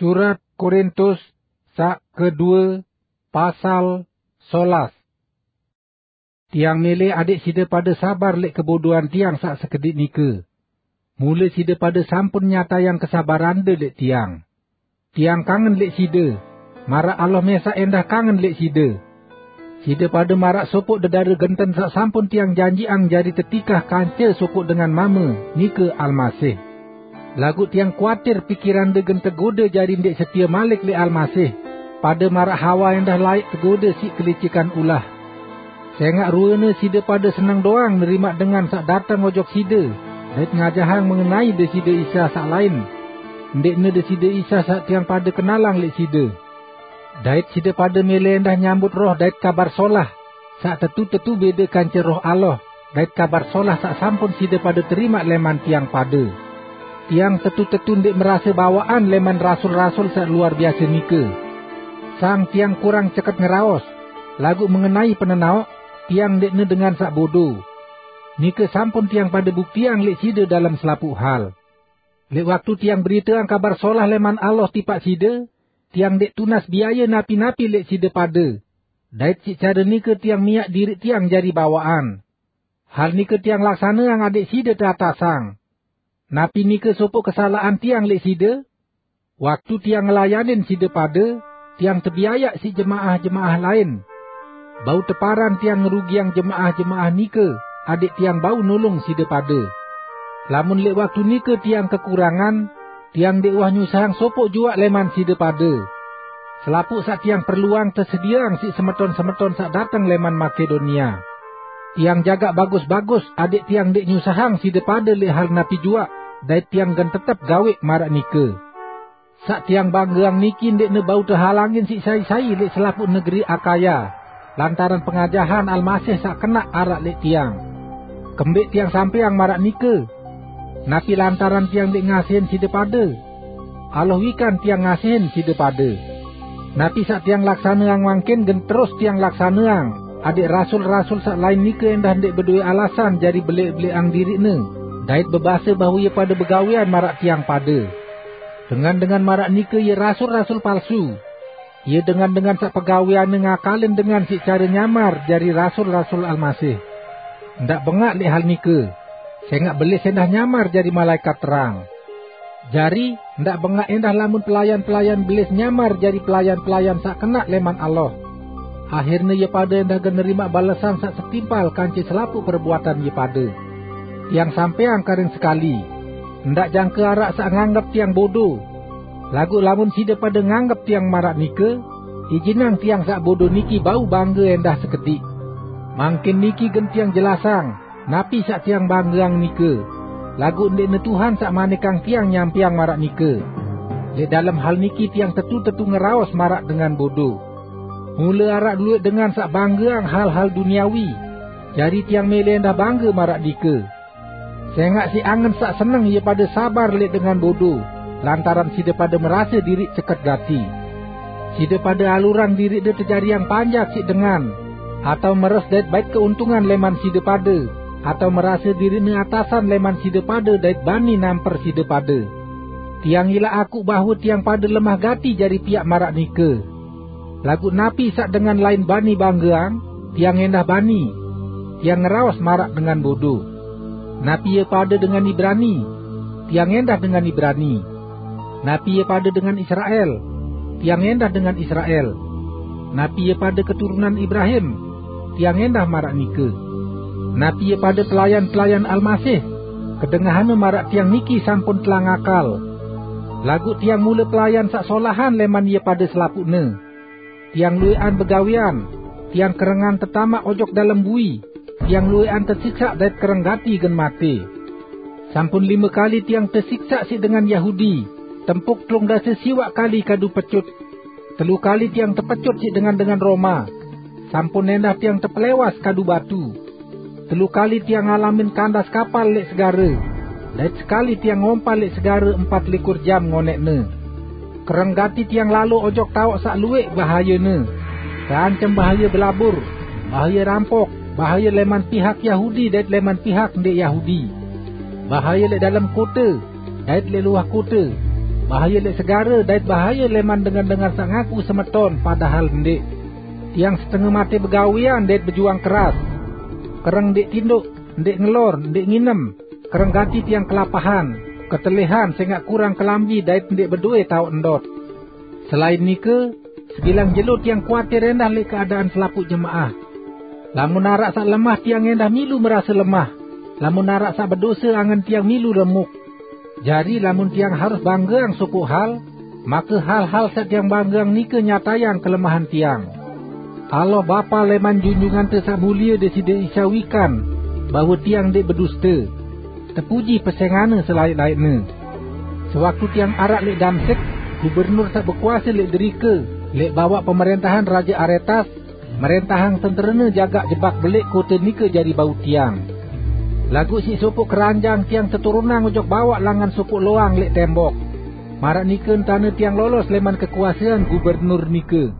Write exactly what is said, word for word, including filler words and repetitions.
Surat Korintus saq kedue, pasal solas. Tiang mele adeq side pade sabar leq kebodoan tiang saq sekediq nike. Mule side pade sampun nyatayang kesabarande leq tiang. Tiang kangen leq side, maraq Allah mesaq endah kangen leq side. Side pade maraq sopoq dedare genten saq sampun tiang janjiqang jari tetikah kance sopoq dengan mame, nike Almasih. Laguq tiang kuatir pikirande gen tegode jari ndeq setie malik leq Almasih, pade maraq Hawa endah laeq tegode siq kelicikan ulah. Sengaq ruene side pade seneng doang nerimaq dengan saq dateng ojok side, dait ngajahang mengenai Deside Isa saq lain, ndeqne Deside Isa saq tiang pade kenalang leq side. Dait side pade mele endah nyambut roh dait Kabar Solah, saq tetu-tetu bede kance Roh Allah, dait Kabar Solah saq sampun side pade terimaq leman tiang pade. Tiang tetu-tetu ndeq merase bawaqan leman rasul-rasul saq luar biase nike. Sang tiang kurang ceket ngeraos, laguq mengenai penenaoq, tiang ndeqne dengan saq bodo. Nike sampun tiang pade buktiang leq side dalem selapuq hal. Leq waktu tiang beriteang Kabar Solah leman Allah tipaq side, tiang ndeq tunas biaye napi-napi leq side pade, dait siq care nike tiang miaq diriq tiang jari bawaqan. Hal nike tiang laksaneang adeq side teatasang. Napi nike sopoq kesalaqan tiang leq side? Waktu tiang ngelayanin side pade, tiang tebiayaq siq jemaah-jemaah lain. Bau teparan tiang ngerugiang jemaah-jemaah nike, adeq tiang bau nulung side pade. Lamun leq waktu nike tiang kekurangan, tiang ndeq uwah nyusahang sopoq juaq leman side pade. Selapuq saq tiang perluang tesedieang siq semeton-semeton saq dateng leman Makedonia. Tiang jagaq bagus-bagus adeq tiang ndeq nyusahang side pade leq hal napi juaq, dait tiang gen tetep gaweq maraq nike. Saq tiang banggeang niki ndeqne bau tehalangin siq sai-sai leq selapuq negeri Akaya, lantaran pengajahan Almasih saq kenaq araq leq tiang. Kembeq tiang sampeang maraq nike? Napi lantaran tiang ndeq ngasihin side pade? Allah wikan tiang ngasihin side pade. Napi saq tiang laksaneang mangkin gen terus tiang laksaneang, adeq rasul-rasul saq lain nike endah ndeq bedowe alasan jari beleq-beleqang diriqne, dait bebase bahwe ie pade begawean maraq tiang pade. Dengan-dengan maraq nike ie rasul-rasul palsu. Ie dengan-dengan saq pegaweanne ngakalin dengan siq care nyamar jari rasul-rasul Almasih. Ndaq bengaq leq hal nike, sengaq belis endah nyamar jari malaekat terang. Jari, ndaq bengaq endah lamun pelayan-pelayan belis nyamar jari pelayan-pelayan saq kenaq leman Allah. Ahirne ie pade endah gen nerimaq balesan saq setimpal kance selapuq perbuatan ie pade. Tiang sampeang karing sekali, ndaq jangke araq saq nganggep tiang bodo. Laguq lamun side pade nganggep tiang maraq nike, ijinang tiang saq bodo niki bau bangge endah sekediq. Mangkin niki gen tiang jelasang, napi saq tiang banggeang nike. Laguq ndeqne Tuhan saq manikang tiang nyampeang maraq nike. Leq dalem hal niki tiang tetu-tetu ngeraos maraq dengan bodo. Mule araq lueq dengan saq banggeang hal-hal duniawi, jari tiang mele endah bangge maraq nike. Sengaq siq angen saq seneng ie pade sabar leq dengan bodo, lantaran side pade merase diriq ceket gati. Side pade alurang diriqde tejariang panjak siq dengan, atao meres dait bait keuntungan leman side pade, atao merase diriqne atasan leman side pade dait bani namper side pade. Tiang ilaq akuq bahwe tiang pade lemah gati jari piaq maraq nike. Laguq napi saq dengan lain bani banggeang, tiang endah bani. Tiang ngeraos maraq dengan bodo. Napi ie pade dengan Ibrani, tiang endah dengan Ibrani. Napi ie pade dengan Israel, tiang endah dengan Israel. Napi ie pade keturunan Ibrahim, tiang endah maraq nike. Napi ie pade pelayan-pelayan Almasih, kedengahanne maraq tiang niki sampun telang akal. Laguq tiang mule pelayan saq solahan leman ie pade selapuqne. Tiang lueqan begawean, tiang kerengan tetamaq ojok dalem bui, tiang lueqan tesiksaq dait kereng gati gen mate. Sampun lime kali tiang tesiksaq siq dengan Yahudi, tempuk telung dase siwaq kali kadu pecut. Telu kali tiang tepecut siq dengan-dengan Roma. Sampun endah tiang tepelewas kadu batu. Telu kali tiang ngalamin kandas kapal leq segare, dait sekali tiang ngompal leq segare empat likur jam ngoneqne. Kereng gati tiang lalo ojok taoq saq lueq bahayene, teancem bahaye belabur, bahaye rampok, bahaye leman pihak Yahudi dait leman pihak ndeq Yahudi, bahaye leq dalem kote dait leq luah kote, Bahaye leq segare dait bahaye leman dengan-dengan saq ngaku semeton, padahal ndeq. Tiang setenge mate begawean dait bejuang keras. Kereng ndeq tindoq, ndeq ngelor, ndeq nginem, kereng gati tiang kelapahan, ketelehan sengaq kurang kelambi dait ndeq bedowe taoq ndot. Selain nike, sebilang jelo tiang kuatir endah leq keadaan selapuq jemaah. Lamun araq saq lemah, tiang endah milu merase lemah. Lamun araq saq bedose, angen tiang milu remuk. Jari, lamun tiang harus banggeang sopoq hal, make hal-hal saq tiang banggeang nike nyatayang kelemahan tiang. Allah, Bapa leman Junjungante Saq Mulie Deside Isa, wikan bahwe tiang ndeq beduste. Tepuji pesengane selaeq-laeqne. Sewaktu tiang araq leq Damsik, gubernur saq bekuase leq derike, leq bawaq pemerentahan Raje Aretas, merentahang tenterene jagaq jebak beleq kote nike jari bau tiang. Laguq siq sopoq keranjang tiang teturunang ojok bawaq langan sopoq loang leq tembok. Maraq nike entane tiang lolos leman kekuasean gubernur nike.